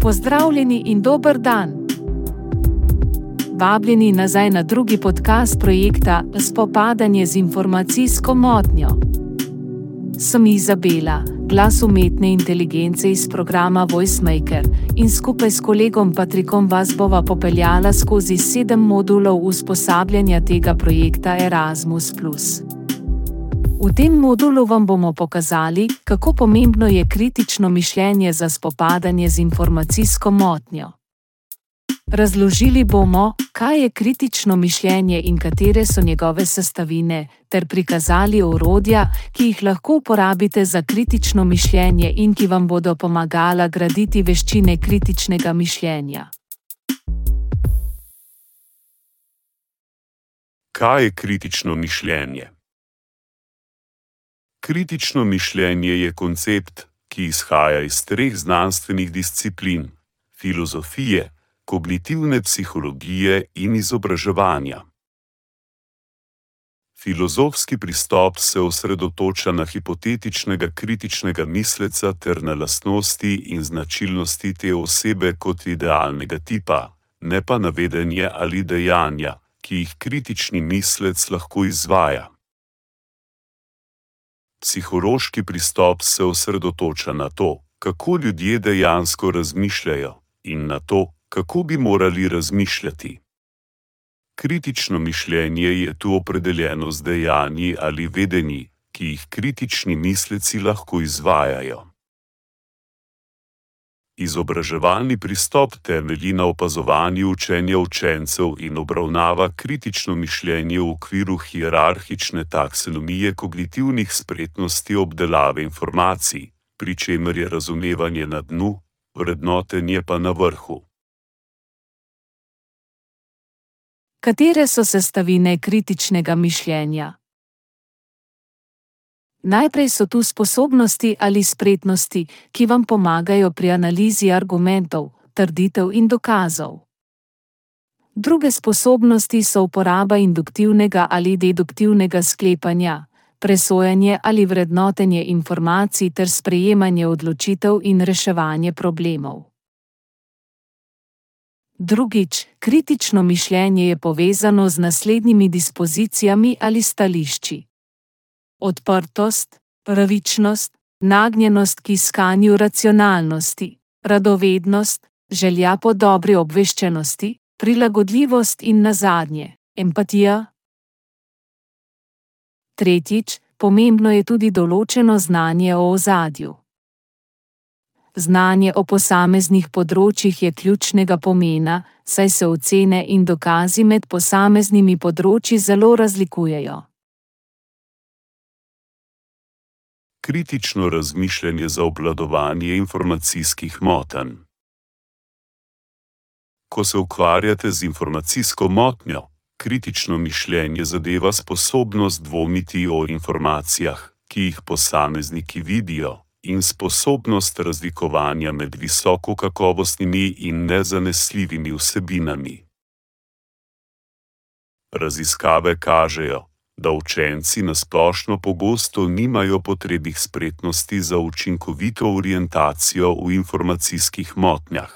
Pozdravljeni in dober dan! Vabljeni nazaj na drugi podcast projekta Spopadanje z informacijsko motnjo. Sem Izabela, glas umetne inteligence iz programa VoiceMaker, in skupaj s kolegom Patrikom vas bova popeljala skozi 7 modulov usposabljanja tega projekta Erasmus+. V tem modulu vam bomo pokazali, kako pomembno je kritično mišljenje za spopadanje z informacijsko motnjo. Razložili bomo, kaj je kritično mišljenje in katere so njegove sestavine, ter prikazali orodja, ki jih lahko uporabite za kritično mišljenje in ki vam bodo pomagala graditi veščine kritičnega mišljenja. Kaj je kritično mišljenje? Kritično mišljenje je koncept, ki izhaja iz 3 znanstvenih disciplin: filozofije, kognitivne psihologije in izobraževanja. Filozofski pristop se osredotoča na hipotetičnega kritičnega misleca ter na lastnosti in značilnosti te osebe kot idealnega tipa, ne pa na vedenje ali dejanja, ki jih kritični mislec lahko izvaja. Psihološki pristop se osredotoča na to, kako ljudje dejansko razmišljajo, in na to, kako bi morali razmišljati. Kritično mišljenje je tu opredeljeno z dejanji ali vedenji, ki jih kritični misleci lahko izvajajo. Izobraževalni pristop temelji na opazovanju učenja učencev in obravnava kritično mišljenje v okviru hierarhične taksonomije kognitivnih spretnosti obdelave informacij, pri čemer je razumevanje na dnu, vrednotenje pa na vrhu. Katere so sestavine kritičnega mišljenja? Najprej so tu sposobnosti ali spretnosti, ki vam pomagajo pri analizi argumentov, trditev in dokazov. Druge sposobnosti so uporaba induktivnega ali deduktivnega sklepanja, presojanje ali vrednotenje informacij ter sprejemanje odločitev in reševanje problemov. Drugič, kritično mišljenje je povezano z naslednjimi dispozicijami ali stališči: odprtost, pravičnost, nagnjenost k iskanju racionalnosti, radovednost, želja po dobri obveščenosti, prilagodljivost in nazadnje, empatija. Tretjič, pomembno je tudi določeno znanje o ozadju. Znanje o posameznih področjih je ključnega pomena, saj se ocene in dokazi med posameznimi področji zelo razlikujejo. Kritično razmišljanje za obvladovanje informacijskih motenj. Ko se ukvarjate z informacijsko motnjo, kritično mišljenje zadeva sposobnost dvomiti o informacijah, ki jih posamezniki vidijo, in sposobnost razlikovanja med visokokakovostnimi in nezanesljivimi vsebinami. Raziskave kažejo, da učenci na splošno pogosto nimajo potrebnih spretnosti za učinkovito orientacijo v informacijskih motnjah.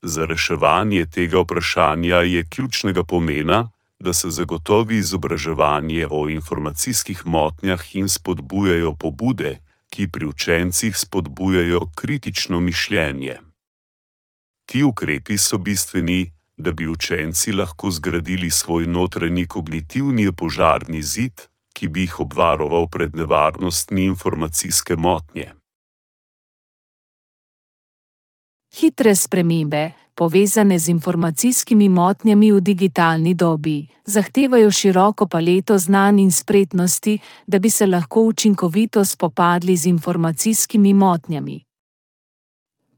Za reševanje tega vprašanja je ključnega pomena, da se zagotovi izobraževanje o informacijskih motnjah in spodbujajo pobude, ki pri učencih spodbujajo kritično mišljenje. Ti ukrepi so bistveni, da bi učenci lahko zgradili svoj notranji kognitivni požarni zid, ki bi jih obvaroval pred nevarnostmi informacijske motnje. Hitre spremembe, povezane z informacijskimi motnjami v digitalni dobi, zahtevajo široko paleto znanj in spretnosti, da bi se lahko učinkovito spopadli z informacijskimi motnjami.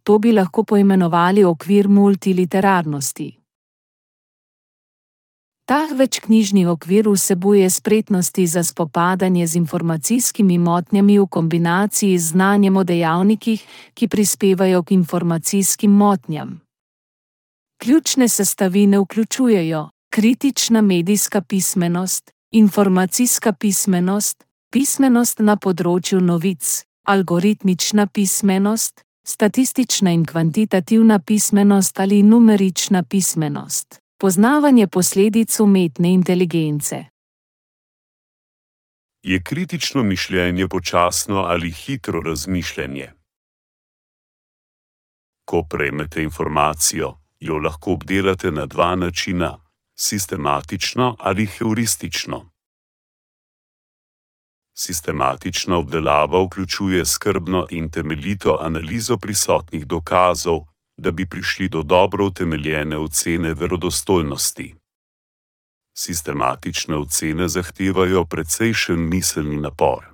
To bi lahko poimenovali okvir multiliterarnosti. Ta večknjižni okvir vsebuje spretnosti za spopadanje z informacijskimi motnjami v kombinaciji z znanjem o dejavnikih, ki prispevajo k informacijskim motnjam. Ključne sestavine vključujejo kritična medijska pismenost, informacijska pismenost, pismenost na področju novic, algoritmična pismenost, Statistična in kvantitativna pismenost ali numerična pismenost. Poznavanje posledic umetne inteligence. Je kritično mišljenje počasno ali hitro razmišljanje? Ko prejmete informacijo, jo lahko obdelate na dva načina: sistematično ali heuristično. Sistematična obdelava vključuje skrbno in temeljito analizo prisotnih dokazov, da bi prišli do dobro utemeljene ocene verodostojnosti. Sistematične ocene zahtevajo precejšen miselni napor.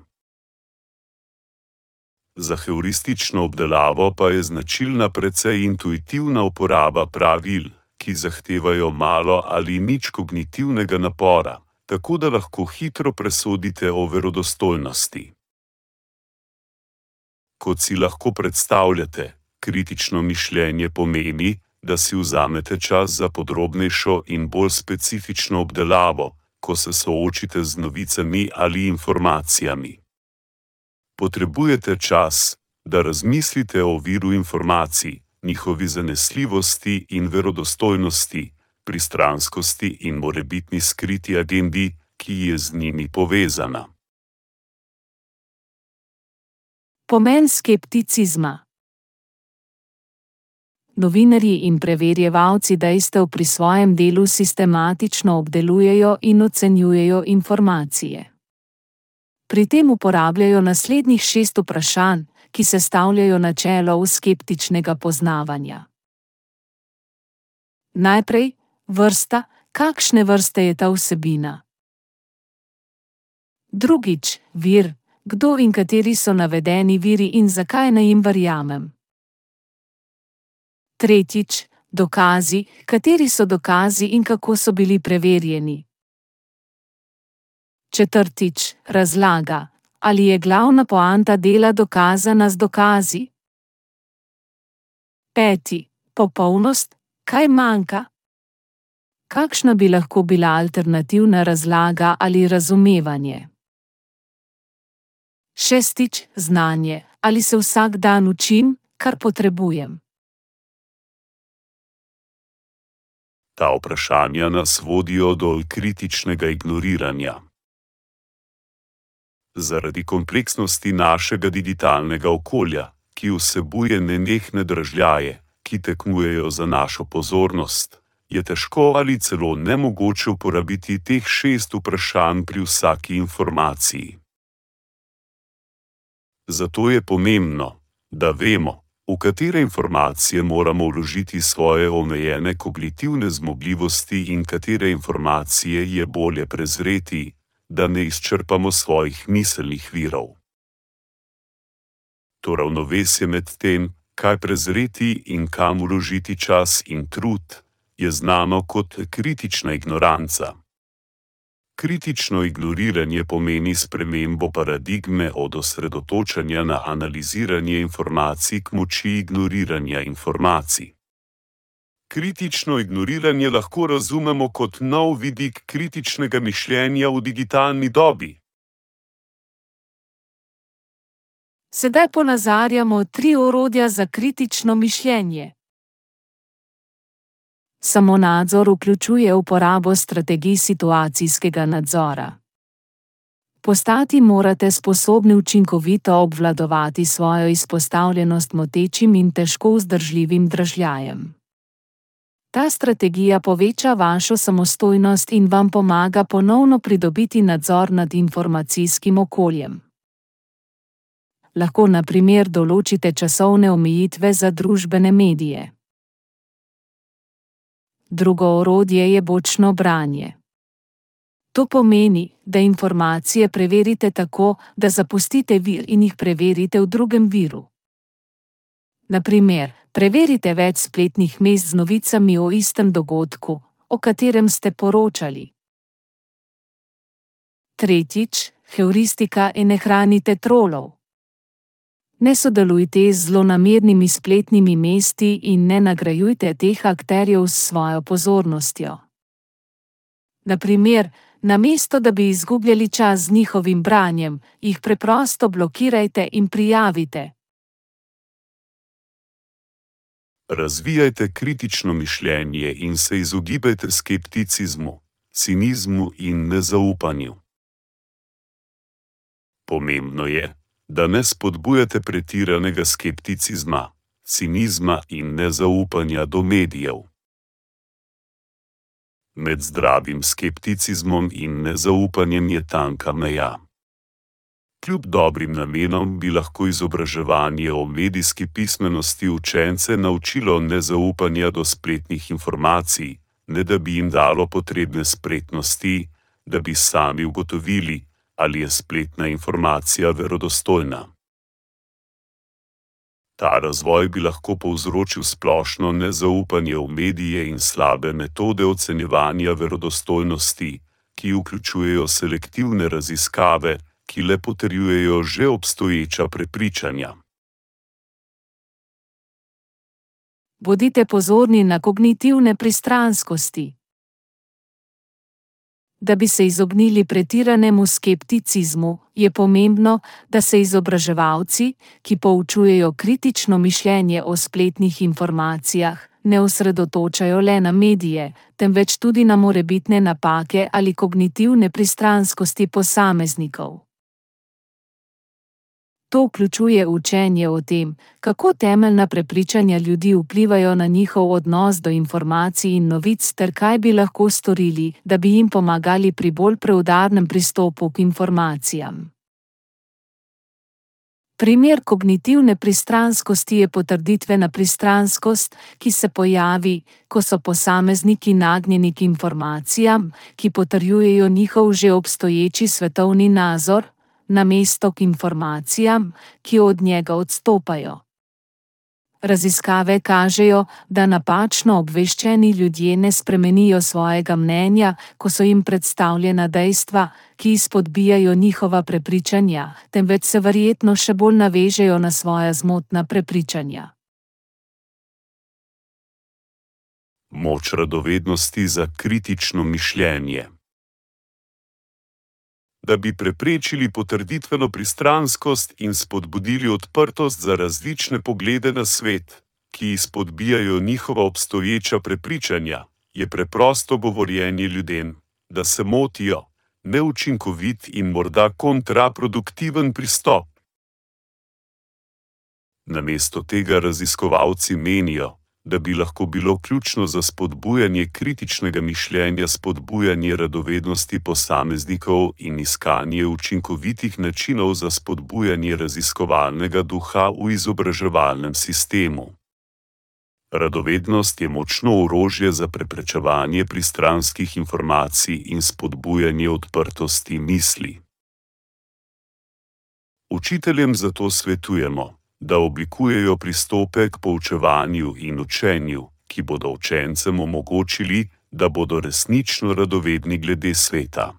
Za heuristično obdelavo pa je značilna precej intuitivna uporaba pravil, ki zahtevajo malo ali nič kognitivnega napora, tako da lahko hitro presodite o verodostojnosti. Kot si lahko predstavljate, kritično mišljenje pomeni, da si vzamete čas za podrobnejšo in bolj specifično obdelavo, ko se soočite z novicami ali informacijami. Potrebujete čas, da razmislite o viru informacij, njihovi zanesljivosti in verodostojnosti, pristranskosti in morebitni skriti agendi, ki je z njimi povezana. Pomen skepticizma. Novinarji in preverjevalci dejstev pri svojem delu sistematično obdelujejo in ocenjujejo informacije. Pri tem uporabljajo naslednjih 6 vprašanj, ki sestavljajo načelo skeptičnega poznavanja. Najprej, vrsta, kakšne vrste je ta vsebina. Drugič, vir, kdo in kateri so navedeni viri in zakaj naj jim verjamem. Tretjič, dokazi, kateri so dokazi in kako so bili preverjeni. Četrtič, razlaga, ali je glavna poanta dela dokazana z dokazi. Peti, popolnost, kaj manjka? Kakšna bi lahko bila alternativna razlaga ali razumevanje? Šestič, znanje, ali se vsak dan učim, kar potrebujem. Ta vprašanja nas vodijo do kritičnega ignoriranja. Zaradi kompleksnosti našega digitalnega okolja, ki vsebuje nenehne dražljaje, ki tekmujejo za našo pozornost, je težko ali celo nemogoče uporabiti teh 6 vprašanj pri vsaki informaciji. Zato je pomembno, da vemo, v katere informacije moramo vložiti svoje omejene kognitivne zmogljivosti in katere informacije je bolje prezreti, da ne izčrpamo svojih miselnih virov. To ravnovesje med tem, kaj prezreti in kam vložiti čas in trud, je znano kot kritična ignoranca. Kritično ignoriranje pomeni spremembo paradigme od osredotočanja na analiziranje informacij k moči ignoriranja informacij. Kritično ignoriranje lahko razumemo kot nov vidik kritičnega mišljenja v digitalni dobi. Sedaj ponazarjamo 3 orodja za kritično mišljenje. Samonadzor vključuje uporabo strategij situacijskega nadzora. Postati morate sposobni učinkovito obvladovati svojo izpostavljenost motečim in težko vzdržljivim dražljajem. Ta strategija poveča vašo samostojnost in vam pomaga ponovno pridobiti nadzor nad informacijskim okoljem. Lahko na primer določite časovne omejitve za družbene medije. Drugo orodje je bočno branje. To pomeni, da informacije preverite tako, da zapustite vir in jih preverite v drugem viru. Na primer, preverite več spletnih mest z novicami o istem dogodku, o katerem ste poročali. Tretjič, heuristika in ne hranite trolov. Ne sodelujte z zlonamernimi spletnimi mesti in ne nagrajujte teh akterjev s svojo pozornostjo. Na primer, namesto da bi izgubljali čas z njihovim branjem, jih preprosto blokirajte in prijavite. Razvijajte kritično mišljenje in se izogibajte skepticizmu, cinizmu in nezaupanju. Pomembno je, da ne spodbujate pretiranega skepticizma, cinizma in nezaupanja do medijev. Med zdravim skepticizmom in nezaupanjem je tanka meja. Kljub dobrim namenom bi lahko izobraževanje o medijski pismenosti učence naučilo nezaupanja do spletnih informacij, ne da bi jim dalo potrebne spretnosti, da bi sami ugotovili, ali je spletna informacija verodostojna. Ta razvoj bi lahko povzročil splošno nezaupanje v medije in slabe metode ocenjevanja verodostojnosti, ki vključujejo selektivne raziskave, ki le potrjujejo že obstoječa prepričanja. Bodite pozorni na kognitivne pristranskosti. Da bi se izognili pretiranemu skepticizmu, je pomembno, da se izobraževalci, ki poučujejo kritično mišljenje o spletnih informacijah, ne osredotočajo le na medije, temveč tudi na morebitne napake ali kognitivne pristranskosti posameznikov. To vključuje učenje o tem, kako temeljna prepričanja ljudi vplivajo na njihov odnos do informacij in novic ter kaj bi lahko storili, da bi jim pomagali pri bolj preudarnem pristopu k informacijam. Primer kognitivne pristranskosti je potrditvena pristranskost, ki se pojavi, ko so posamezniki nagnjeni k informacijam, ki potrjujejo njihov že obstoječi svetovni nazor, namesto k informacijam, ki od njega odstopajo. Raziskave kažejo, da napačno obveščeni ljudje ne spremenijo svojega mnenja, ko so jim predstavljena dejstva, ki izpodbijajo njihova prepričanja, temveč se verjetno še bolj navežejo na svoja zmotna prepričanja. Moč radovednosti za kritično mišljenje. Da bi preprečili potrditveno pristranskost in spodbudili odprtost za različne poglede na svet, ki izpodbijajo njihova obstoječa prepričanja, je preprosto govorjenje ljudem, da se motijo, neučinkovit in morda kontraproduktiven pristop. Namesto tega raziskovalci menijo, da bi lahko bilo ključno za spodbujanje kritičnega mišljenja spodbujanje radovednosti posameznikov in iskanje učinkovitih načinov za spodbujanje raziskovalnega duha v izobraževalnem sistemu. Radovednost je močno orožje za preprečevanje pristranskih informacij in spodbujanje odprtosti misli. Učiteljem zato svetujemo, da oblikujejo pristope k poučevanju in učenju, ki bodo učencem omogočili, da bodo resnično radovedni glede sveta.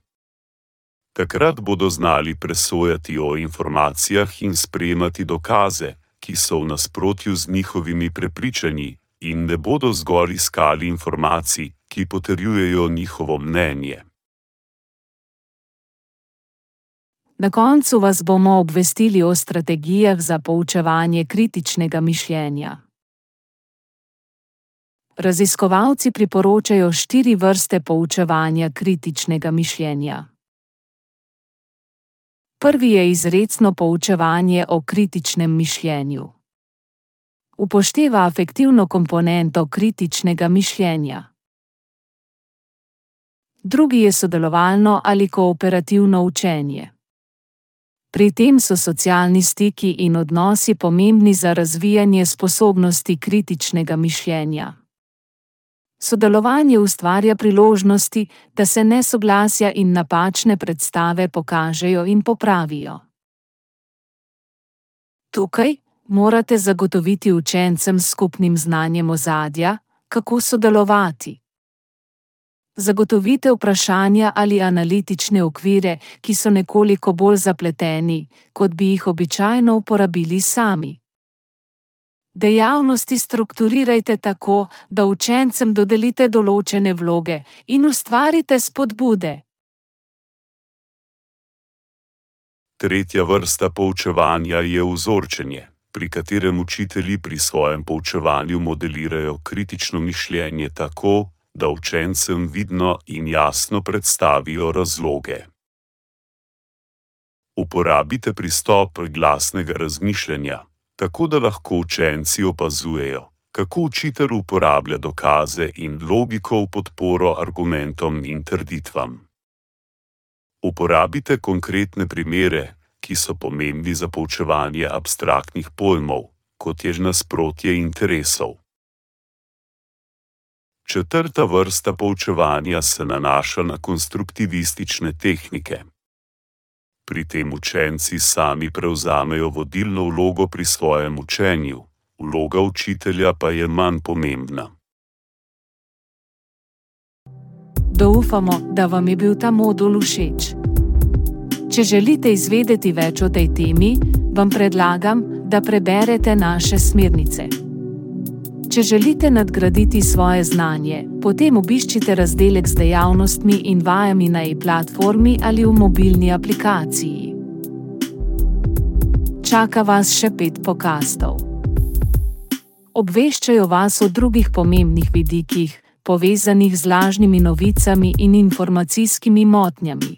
Takrat bodo znali presojati o informacijah in sprejemati dokaze, ki so v nasprotju z njihovimi prepričanji, in ne bodo zgolj iskali informacij, ki potrjujejo njihovo mnenje. Na koncu vas bomo obvestili o strategijah za poučevanje kritičnega mišljenja. Raziskovalci priporočajo 4 vrste poučevanja kritičnega mišljenja. Prvi je izrecno poučevanje o kritičnem mišljenju. Upošteva afektivno komponento kritičnega mišljenja. Drugi je sodelovalno ali kooperativno učenje. Pri tem so socialni stiki in odnosi pomembni za razvijanje sposobnosti kritičnega mišljenja. Sodelovanje ustvarja priložnosti, da se nesoglasja in napačne predstave pokažejo in popravijo. Tukaj morate zagotoviti učencem s skupnim znanjem ozadja, kako sodelovati. Zagotovite vprašanja ali analitične okvire, ki so nekoliko bolj zapleteni, kot bi jih običajno uporabili sami. Dejavnosti strukturirajte tako, da učencem dodelite določene vloge in ustvarite spodbude. Tretja vrsta poučevanja je vzorčenje, pri katerem učitelji pri svojem poučevanju modelirajo kritično mišljenje tako, da učencem vidno in jasno predstavijo razloge. Uporabite pristop glasnega razmišljanja, tako da lahko učenci opazujejo, kako učitelj uporablja dokaze in logiko v podporo argumentom in trditvam. Uporabite konkretne primere, ki so pomembni za poučevanje abstraktnih pojmov, kot je nasprotje interesov. Četrta vrsta poučevanja se nanaša na konstruktivistične tehnike. Pri tem učenci sami prevzamejo vodilno vlogo pri svojem učenju, vloga učitelja pa je manj pomembna. Upamo, da vam je bil ta modul všeč. Če želite izvedeti več o tej temi, vam predlagam, da preberete naše smernice. Če želite nadgraditi svoje znanje, potem obiščite razdelek z dejavnostmi in vajami na e-platformi ali v mobilni aplikaciji. Čaka vas še 5 podcastov. Obveščajo vas o drugih pomembnih vidikih, povezanih z lažnimi novicami in informacijskimi motnjami.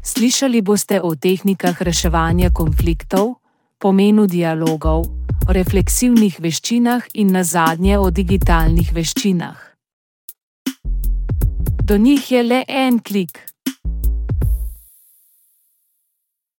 Slišali boste o tehnikah reševanja konfliktov, pomenu dialogov, o refleksivnih veščinah in nazadnje o digitalnih veščinah. Do njih je le en klik.